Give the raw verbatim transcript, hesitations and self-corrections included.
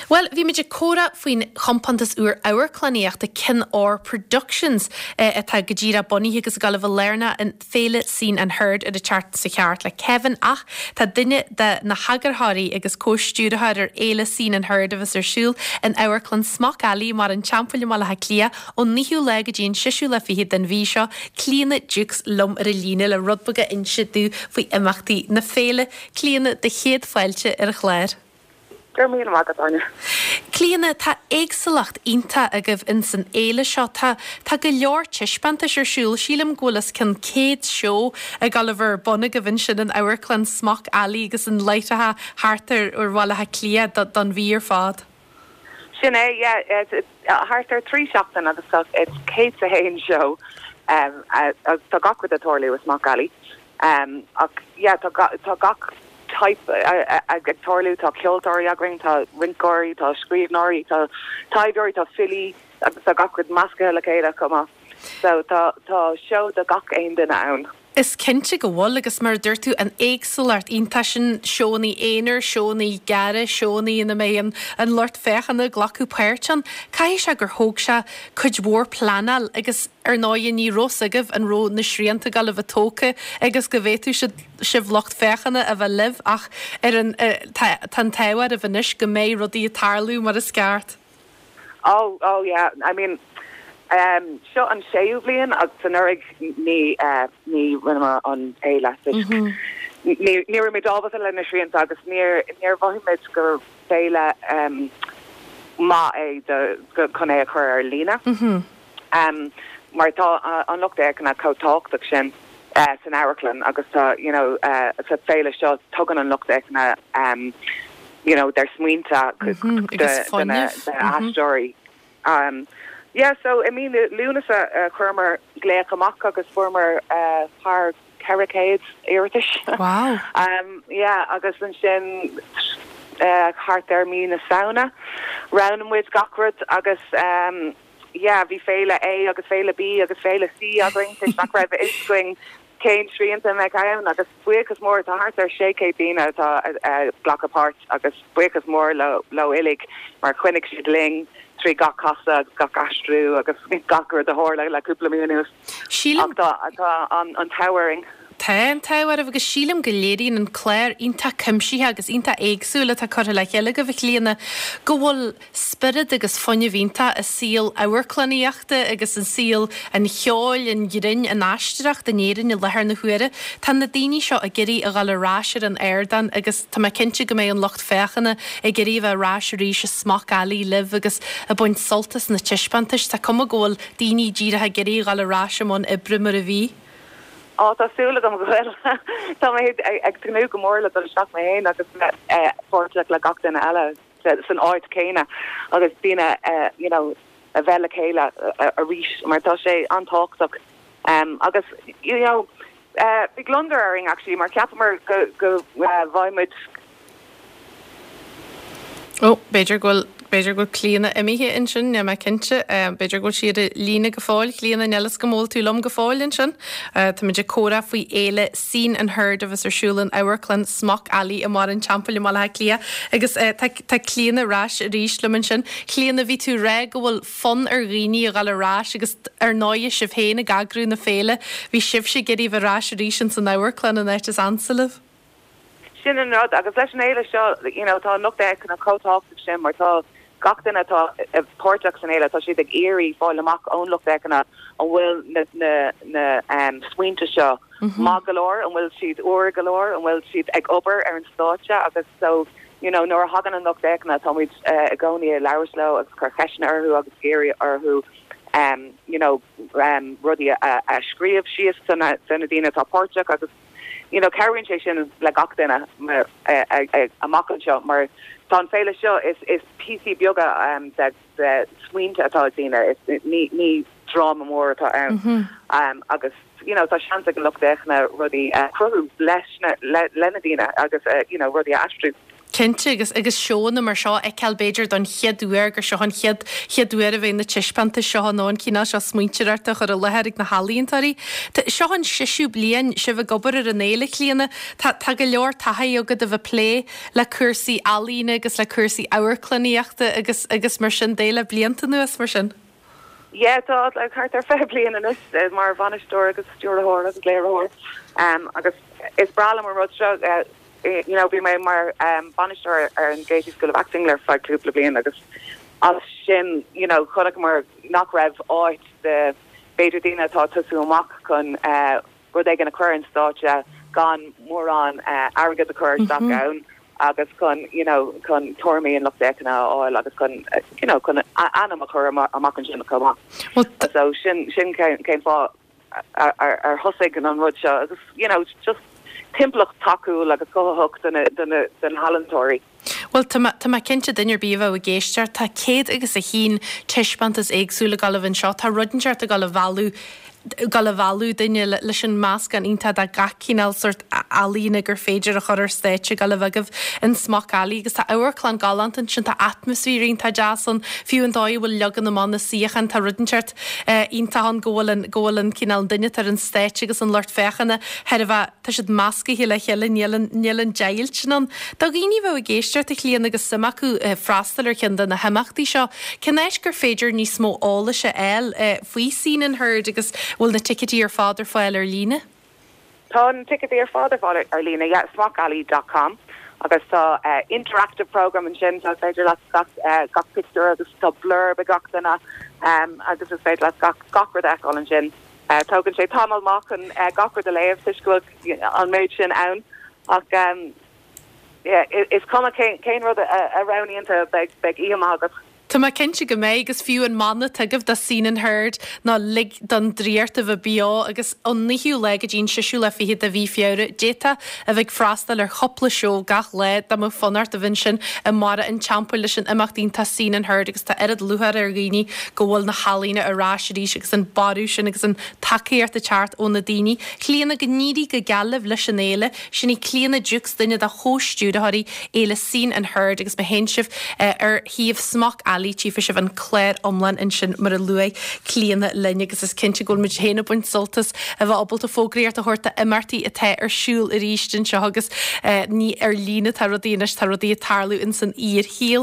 Well, bhí muid ag comhrá faoin chompántas úr amharclannaíochta Cinn Óir Productions eh, atá go díreach bunaithe agus ag gabháil a bheith lárnach in féile Scene and Heard ar an tseachtain seo thart le Kevin ach tá duine de na heagarthóirí agus comhstiúrthóir ar fhéile Scene and Heard a bheas ar siúl in Amharclann Smock Alley i mBarr an Teampaill i mBaile Átha Cliath ón naoú lá go dtí an séú lá fichead den mhí seo Clíona Dukes liom ar an líne le rud beag a inse dúinn faoi imeachtaí na féile Clíona do chéad fáilte ar an chlár. Gur mí agat aine. Clíona tá éagsúlacht iontach agaibh in san fhéile seo tá tá go leor taispeántais ar siúl sílim go bhfuil os cionn céad seó ag gabháil a bheith ar bun agaibh ansin in Amharclann Smock Alley agus in láithreacha thart ar ar Bhaile Átha Cliath don mhí ar fad. Sin é thart ar trí seachtain agus tá céad a haon seó tá gach rud ag tarlú i Smock Alley. Um, ach yeah, tá tá gach type ag tarlú tá ceoltóirí againn tá rinceoirí tá scríbhneoirí tá taibheoirí tá filí agus tá gach rud measctha le chéile cuma. So tá tá seó do gach aon duine ann. Is cinnte go bhfuil agus mar dúirt tú an éagsúlacht iontach sin seónna aonair, seónna gearra, seónna ina mbeidh an an lucht féachana ag glacadh páirt ann. Caithfidh sé gur thóg sé cuid mhór pleanáil agus ar ndóigh ní raibh a fhios agaibh an raibh na srianta ag gabháil a bheith tógtha agus go bhféadfadh sibh lucht féachana a bheith libh ach ar an tá an t-ádh oraibh anois go mbeidh rudaí ag tarlú mar is ceart. Oh oh yeah I mean um seo an séú bliain agus anuraidh ní uh, ní rinneamar an fhéile mm -hmm. ní raibh muid ábalta le na srianta agus níor níor mhothaigh gur féile um, maith é do chun é a chur ar líne. Mm -hmm. um, mar tá uh, an lucht féachana chomh tábhachtach sin uh, san amharclann agus tá you know uh, sa féile seo tugann an lucht féachana um, you know their smaointe mm -hmm. aisteoirí. Um, yeah, so I mean Lúnasa uh, chuireamar glaoch amach agus fuaireamar uh, thar ceithre chéad iarratas. Wow. um, yeah, agus ansin uh, thart ar mí na Samhna. Roghnaigh muid gach rud agus um, yeah, bhí féile A agus féile B agus féile C againn nach raibh a fhios againn cén srianta me ann agus buíochas mór tá thart ar sé chéad duine atá glacadh páirt agus buíochas mór le le uilig mar choinnigh siad linn trí gach casadh agus gach aistriú agus gach rud a tharla le cúpla mí anuas. Sílim tá an an t-ádh orainn. Tá an t-ádh oraibh agus sílim go léiríonn an clár iontach cuimsitheach agus iontach éagsúil atá curtha le chéile agaibh a Chlíona go bhfuil spiorad agus fuinneamh iontach i saol amharclannaíochta agus an saol an cheoil an ghrinn an aisteoireacht in Éirinn i láthair na huaire. Tá na daoine seo ag iarraidh a ghabháil ar ais ar an ardán agus tá mé cinnte go mbeidh an lucht féachana ag iarraidh bheith ar ais arís i Smock Alley libh agus ag baint sult as na taispeántais Tá cuma go bhfuil daoine díreach ag iarraidh a ghabháil ar ais i mbun oibre mar a bhí. Á tá súil agam go bhfuil Tá mé ag tnúth go mór le dul isteach mé féin agus páirteach le gach duine eile san áit céanna agus daoine you know a bheith le chéile arís mar tá sé an-tábhachtach um, agus you know uh, bhí gliondar orainn actually mar cheapamar go go uh, bhfuil Ó b'fhéidir go bhfuil b'fhéidir go bhfuil Clíona imithe ansin níl mé cinnte b'fhéidir go bhfuil sí ar líne go fóill Clíona níl a fhios agam an bhfuil tú liom go fóill ansin. Tá muid ag comhrá faoi fhéile Scene and Heard agus ar siúl in Amharclann Smock Alley i mBarr an Teampaill i mBaile Átha Cliath agus tá Clíona ar ais arís liom ansin. Clíona bhí tú ag rá go bhfuil fonn ar dhaoine a ghabháil ar ais agus ar ndóigh sibh féin ag eagrú na féile, bhí sibhse ag iarraidh bheith ar ais arís in san amharclann an áit is ansa libh. Sin an rud agus leis an fhéile seo you know, tá lucht féachana chomh tábhachtach sin mar tá gach duine atá páirteach san fhéile tá siad ag iarraidh fáil amach ón lucht féachana an bhfuil na na na um, smaointe seo mm -hmm. maith go leor an bhfuil siad úr go leor an bhfuil siad ag obair ar an stáitse agus so you know nuair a thagann an lucht féachana tá muid uh, i gcónaí ag labhairt leo agus cur ceisteanna orthu agus iarraidh orthu um, you know um, rudaí a, a scríobh síos do na daoine atá páirteach agus you know cabhraíonn sé sin le gach duine amach anseo mar tá an féile seo is is píosaí beaga um, de de smaointe atá daoine is ní ní dráma mór atá ann mm -hmm. um, agus you know tá seans ag lucht féachana rudaí uh, cruthú leis na le, le na daoine agus uh, you know rudaí a aistriú. Cinnte agus agus seónna mar seo a fheiceáil b'fhéidir don chéad uair gur seo an chéad chéad uair a bheidh na taispeántais seo nó an cineál seo smaointeoireachta á chur i láthair ag na healaíontóirí. Seo an seisiú bliain sibh ag obair ar an fhéile Clíona. Tá tá go leor taithí agat a bheith ag plé le cúrsaí ealaíne agus le cúrsaí amharclannaíochta agus agus mar sin de le blianta anuas mar sin. Yeah, tá like thart ar fiche bliain anois eh, mar bhainisteoir agus stiúrthóir agus léiritheoir um, agus is breá liom an rud seo uh, you know, bhí mé mar um, bainisteoir ar an Gaiety School of Acting le feadh cúpla bliain agus as sin you know, chonaic mar nach raibh áit de b'fhéidir daoine atá ag tosú amach chun uh, rud éigin a chur an stáitse gan mórán uh, airgead a chur mm -hmm. ann agus chun you know, chun tuairimí an lucht féachana a fháil agus chun uh, you know, chun ainm a chur amach ansin chomh maith. So sin sin cén fáth ar thosaigh an rud seo agus you know, just timpeallacht tacúil agus cothaitheach do na healaíontóirí. Well tá mé cinnte duine ar bith a bheadh ag éisteacht tá céad agus a haon taispeántas éagsúil ag gabháil anseo tá rud inteacht ag gabháil a mhealladh gabháil a mhealladh duine leis an meascán iontach de gach cineál sórt ealaíne gur féidir a chur ar stáitse ag gabháil a bheith agaibh in Smock Alley agus tá amharclann galánta ansin tá atmaisféar iontach deas ann fiú an dóigh a bhfuil leagan amach na suíochán tá rud inteacht iontach ann go bhfuil an go bhfuil an cineál duine ar an stáitse agus an lucht féachana thar a bheith tá siad measctha le chéile níl an níl an deighilt sin ann. Do dhaoine a bheadh ag éisteacht a Chlíona agus suim acu freastal ar cheann de na himeachtaí seo, cén áit gur féidir níos mó eolais a fháil faoi Scene and Heard agus bhfuil na ticéidí ar fad ar fáil ar líne? Tá na ticéidí ar fad ar fáil ar líne yeah, smockalley.com agus tá uh, interactive program ansin tá féidir leat gach uh, gach pictiúr agus tá blurb ag gach duine um, agus is féidir leat gach gach rud a fheiceáil ansin. Uh, Tógann sé tamall maith an uh, gach rud a léamh go an méid sin ann ach um, yeah, is cuma cén rud a, a roghnaíonn tú beidh beidh oíche mhaith agat. Tá mé cinnte go mbeidh agus fiú an mana atá agaibh do Scene and Heard ná lig don draíocht a bheith beo agus ón naoú lá go dtí an séú lá fichead de mhí Feabhra d'fhéadfá a bheith ag freastal ar chúpla seó gach lá dá mbeadh fonn ort a bheith ansin i mBarra an Teampaill leis an imeacht iontach Scene and Heard agus tá oiread lúcháir ar dhaoine go bhfuil na healaíona ar ais arís agus an borradh sin agus an tacaíocht ag teacht ó na daoine. Clíona go n-éirí go geal libh leis an fhéile, sin í Clíona Dukes duine de chomhstiúrthóirí Fhéile Scene and Heard agus má théann sibh eh, ar shuíomh Smock Alley tchífidh sibh an clár iomlán ansin mar a luaigh Clíona linn agus is cinnte go bhfuil muid féin ag baint sult as a bheith ábalta fógraíocht a thabhairt d'imeachtaí atá ar siúl arís anseo agus eh, ní ar líne tá rudaí anois tá rudaí ag tarlú in san fhíorshaol.